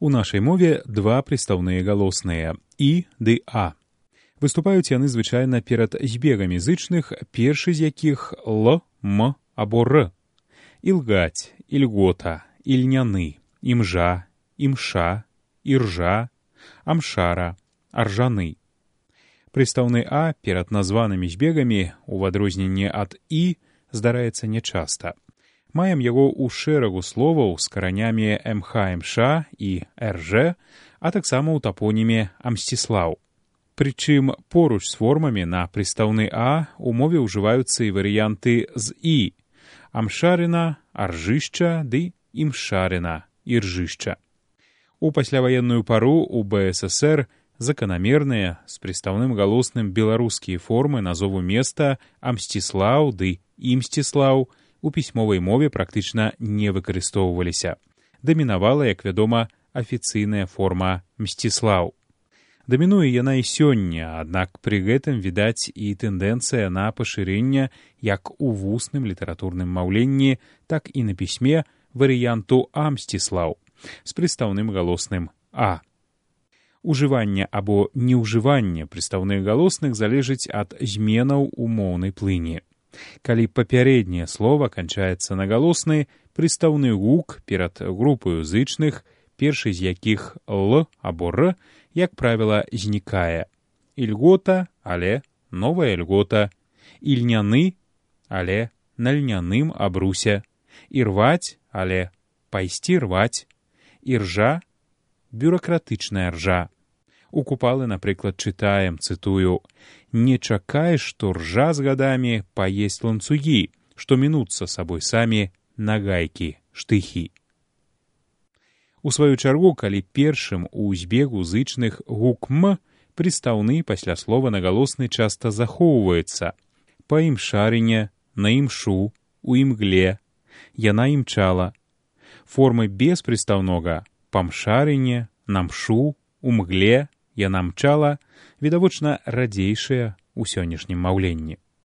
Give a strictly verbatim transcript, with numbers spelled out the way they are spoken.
У нашай мове два прыстаўныя галосныя «і» ды «а». Выступаюць яны звычайна перад збегамі зычных, першы з якіх «л», «м» або «р». Ілгаць, ільгота, ільняны, імжа, імша, іржа, амшара, аржаны. Прыстаўны «а» перад названымі збегамі, у адрозненне ад «і», здараецца нячаста. Маем яго ў шэрагу словаў з каранямі «мх-мш» і «рж», а таксама ў тапоніме «Амсціслаў». Прычым поруч з формамі на прыстаўны «а» у мове ўжываюцца і варыянты з «і» – амшарына, аржышча ды імшарына, іржышча. У пасляваенную пару ў бэ эс эсэр заканамерныя з прыстаўным галосным беларускія формы назову места Амсціслаў ды Імсціслаў у пісьмовай мове практычна не выкарыстоўваліся. Дамінавала, як вядома, афіцыйная форма Мсціслаў. Дамінуе яна і сёння, аднак пры гэтым відаць і тэндэнцыя на пашырэнне як у вусным літаратурным маўленні, так і на пісьме варыянту Амсціслаў з прыстаўным галосным «а». Ужыванне або неўжыванне прыстаўных галосных залежыць ад зменаў у моўнай плыні. Калі папярэдняе слова канчаецца на галосны, прыстаўны гук перад групаю зычных, першы з якіх «л» або «р», як правіла, знікае. Ільгота, але новая льгота. Ільняны, але на льняным абрусе. Ірваць, але пайсці рваць. Іржа, бюракратычная ржа. У купалы, напрыклад, чытаем, цытую, «Не чакай, што ржа з гадамі паесць ланцугі, што мінуцца сабой самі на гайкі, штыхі». У сваю чаргу, калі першым у збегу зычных гук «м», прыстаўны пасля слова на галосны часта захоўваецца. Па імшарыне, на імшу, у імгле, яна імчала. Формы без прыстаўнога па мшарыне, на мшу, у мгле, яна мчала, відавочна радзейшыя ў сённяшнім маўленні.